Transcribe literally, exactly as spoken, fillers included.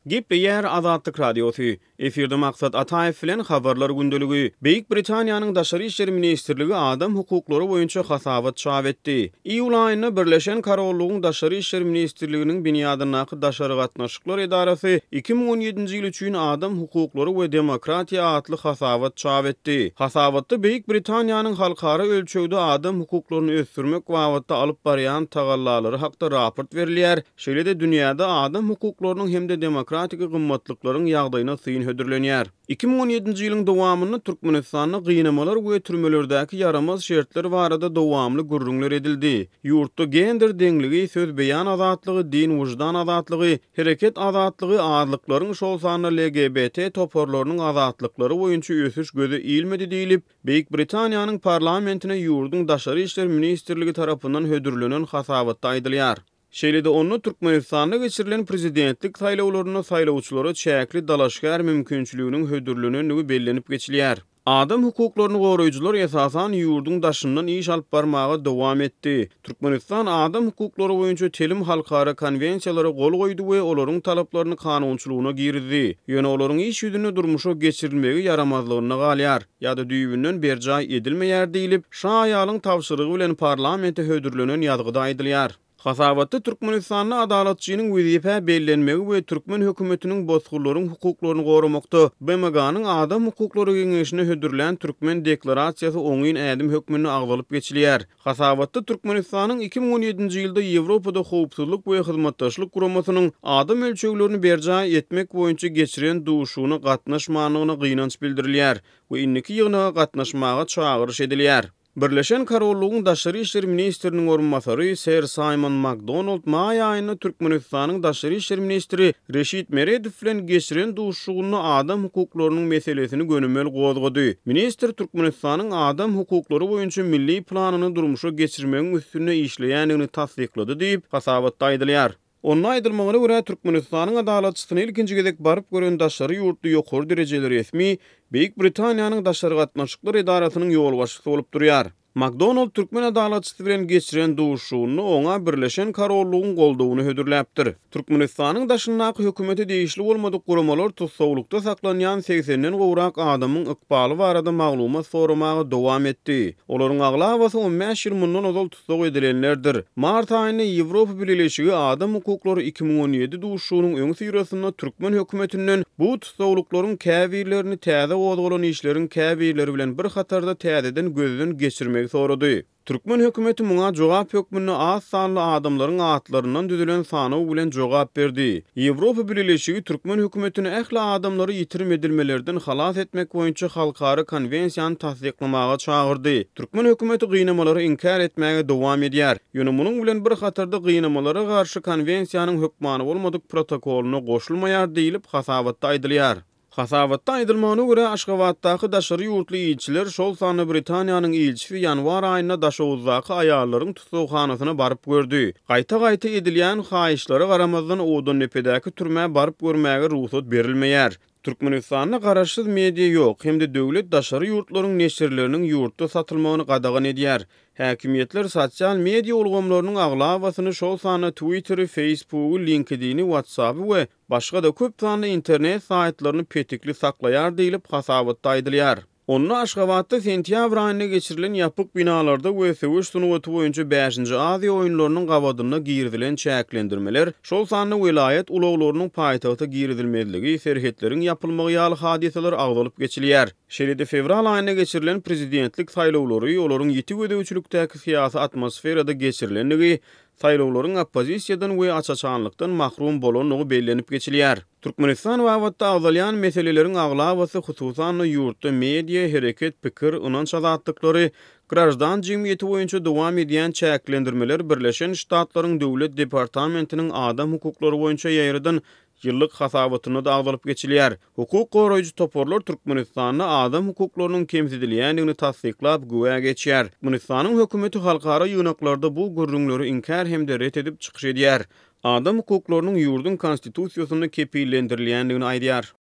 Gepleýär Azatlyk Radiosy. Efirde Maksat Ataýew bilen Habarlar gündeligi. Beýik Britaniýanyň Daşary işler ministrligi adam hukuklary boýunça hasabat çap etdi. Iýul aýynda Birleşen Korollygyň Daşary işler ministrliginiň binýadyndaky Daşary gatnaşyklar edarasy iki müň on ýedinji ýyl üçin adam hukuklary we demokratiýa atly hasabat çap etdi. Hasabatda Beýik Britaniýanyň halkara ölçegde adam hukuklaryny ösdürmek babatda alyp barýan tagallalary hakda raport berilýär, şeýle-de dünýäde adam hukuklarynyň hem-de demokratik gymmatlyklaryň ýagdaýyna syn hödürlenýär. Iki müň on ýedinji ýylyň dowamynda Türkmenistanda gynamalar we türmelerdäki ýaramaz şertler barada dowamly gürrüňler edildi. Ýurtda gender deňligi, söz beýan azatlygy, din-wyždan azatlygy, hereket azatlygy, azlyklaryň, şol sanda L G B T toparlarynyň azatlyklary boýunça ösüş göze ilmedi diýlip, Beýik Britaniýanyň parlamentine ýurduň Daşary işler ministrligi tarapyndan hödürlenen hasabatda aýdylýar. Şeýle-de onda Türkmenistanda geçirilen prezidentlik saýlawlarynda saýlawçylara çäkli dalaşgär mümkinçiliginiň hödürlenendigi bellenip geçilýär. Adam hukuklaryny goraýjylar esasan ýurduň daşyndan iş alyp barmaga dowam etdi. Türkmenistan adam hukuklary boýunça telim halkara konwensiýalara gol goýdy we olaryň talaplaryny kanunçylygyna girizdi. Ýöne olaryň iş ýüzünde durmuşa geçirilmegi ýaramazlygynda galýar ýa-da düýbünden berjaý edilmeýär diýlip, şa aýalyň tabşyrygy bilen parlamente hödürlenen ýazgyda aýdylýar. Hasabatda Türkmenistanda adalatçynyň wezipä bellenmegi we türkmen hökümetiniň bosgunlaryň hukuklaryny goramakda B M G-nyň Adam hukuklary geňeşine hödürlän türkmen deklarasiýasy oňyn ädim hökmünde agzalyp geçilýär. Hasabatda Türkmenistanyň iki müň on ýedinji ýylda Ýewropada Howpsuzlyk we Hyzmatdaşlyk Guramasynyň adam ölçeglerini berjaý etmek boýunça geçiren duşuşygyna gatnaşmandygyna gynanç bildirilýär we indiki ýygnaga gatnaşmaga çagyryş edilýär. Birleşen Korollygyň Daşary işler ministriniň orunbasary Ser Simon McDonald maý aýynda Türkmenistanyň Daşary işler ministri Reşit Meredow bilen geçiren duşuşygynda adam hukuklarynyň meselesini gönümel gozgady. Ministr Türkmenistanyň adam hukuklary boýunça milli planyny durmuşa geçirmegiň üstünde işleýändigini tassyklady diýip, hasabatda aýdylýar. Onda aýdylmagyna görä, Türkmenistanyň adalatçysyny ilkinji gezek baryp gören daşary ýurtly ýokary derejeli resmi Beýik Britaniýanyň Daşary gatnaşyklar edarasynyň ýolbaşçysy bolup durýar. McDonald türkmen adalatçysy bilen geçiren duşuşygynda oňa Birleşen Korollygyň goldawyny hödürläpdir. Türkmenistanyň daşyndaky hökümete degişli bolmadyk guramalar tussaglykda saklanýan segsenden gowrak adamyň ykbaly barada maglumat soramaga dowam etdi. Olaryň aglabasy on bäş ýyl mundan ozal tussag edilenlerdir. Mart aýynda Ýewropa Bileleşigi adam hukuklary iki müň on ýedi duşuşygynyň öňüsyrasynda türkmen hökümetinden bu tussaglyklaryň käbirlerini täze gozgalan işleriň käbirleri bilen bir hatarda täzeden gözden geçirmegi sorady. Türkmen hökümeti muňa jogap hökmünde az sanly adamlaryň atlaryndan düzülen sanaw bilen jogap berdi. Ýewropa Bileleşigi türkmen hökümetini ähli adamlary ýitirim edilmelerden halas etmek boýunça halkara konwensiýany tassyklamaga çagyrdy. Türkmen hökümeti gynamalary inkär etmäge dowam edýär. Ýöne munuň bilen bir hatarda gynamalara garşy konwensiýanyň hökmany bolmadyk protokolyna goşulmaýar diýlip hasabatda aýdylýar. Hasabatda aýdylmagyna görä, Aşgabatdaky daşary ýurtly ilçiler, şol sanda Britaniýanyň ilçisi ýanwar aýynda Daşoguzdaky aýallaryň tussaghanasyna baryp gördi. Gaýta-gaýta edilýän haýyşlara garamazdan Owadandepedäki türmä baryp görmäge rugsat berilmeýär. Türkmenistanda garaşsyz media ýok, hem-de döwlet daşary ýurtlaryň neşirleriniň ýurtda satylmagyny gadagan edýär. Häkimiýetler sosial media ulgamlarynyň aglabasyny, şol sanda Twitter'i, Facebook'u, LinkedIn'i, WhatsApp'y we başga-da köp sanly internet saýtlaryny petikli saklaýar diýlip hasabatda aýdylýar. Onda Aşgabatda sentýabr aýynda geçirilen ýapyk binalarda we söweş sungaty boýunça bäşinji Aziýa oýunlarynyň gabadynda girizilen çäklendirmeler, şol sanda welaýat ulaglarynyň paýtagta girizilmezligi, serhetleriň ýapylmagy ýaly hadysalar agzalyp geçilýär. Şeýle-de fewral aýynda geçirilen prezidentlik saýlawlary, olaryň ýiti gözegçilikdäki syýasy atmosferada geçirilendigi, saýlawlaryň oppozisiýadan we aç-açanlykdan mahrum bolandygy bellenip geçilýär. Türkmenistan babatda agzalýan meseleleriň aglabasy, hususan-da ýurtda media, hereket, pikir, ynanç azatlyklary, graždan jemgyýeti boýunça dowam edýän çäklendirmeler Birleşen Ştatlaryň Döwlet departamentiniň adam hukuklary boýunça ýaýradan ýyllyk hasabatynda da agzalyp geçilýär. Hukuk goraýjy toparlar Türkmenistanda adam hukuklarynyň kemsidilýändigini tassyklap güwä geçýär. Türkmenistanyň hökümeti halkara ýygnaklarda bu gürrüňleri inkär hem-de ret edip çykyş edýär. Adam hukuklarynyň ýurduň konstitusiýasynda kepillendirilýändigini aýdýar.